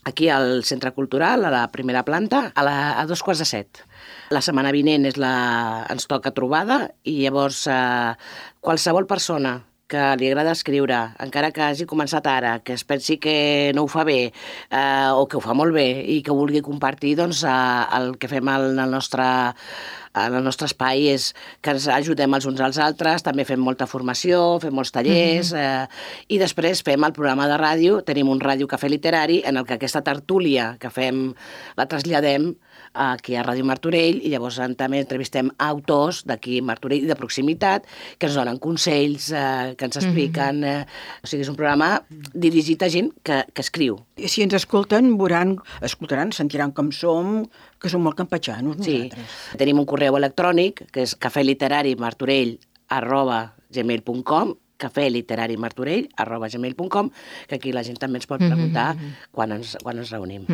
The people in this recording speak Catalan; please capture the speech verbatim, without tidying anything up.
aquí al Centre Cultural, a la primera planta, a, la, a dos quarts de set. La setmana vinent és la, ens toca trobada i llavors eh, qualsevol persona que li agrada escriure, encara que hagi començat ara, que es pensi que no ho fa bé eh, o que ho fa molt bé i que vulgui compartir, doncs eh, el que fem al, al nostre en el nostre espai és que ens ajudem els uns als altres, també fem molta formació, fem molts tallers, eh, i després fem el programa de ràdio, tenim un ràdio cafè literari en el que aquesta tertúlia que fem la traslladem aquí a Ràdio Martorell i llavors també entrevistem autors d'aquí Martorell i de proximitat que ens donen consells, eh, que ens expliquen. Eh, o sigui, és un programa dirigit a gent que, que escriu. I si ens escolten, veuran, escoltaran, sentiran com som, que som molt campatxanos nosaltres. Sí, tenim un correu electrònic que és cafèliterarimartorell arroba gmail punt com cafèliterarimartorell arroba gmail punt com que aquí la gent també ens pot preguntar quan ens, quan ens reunim.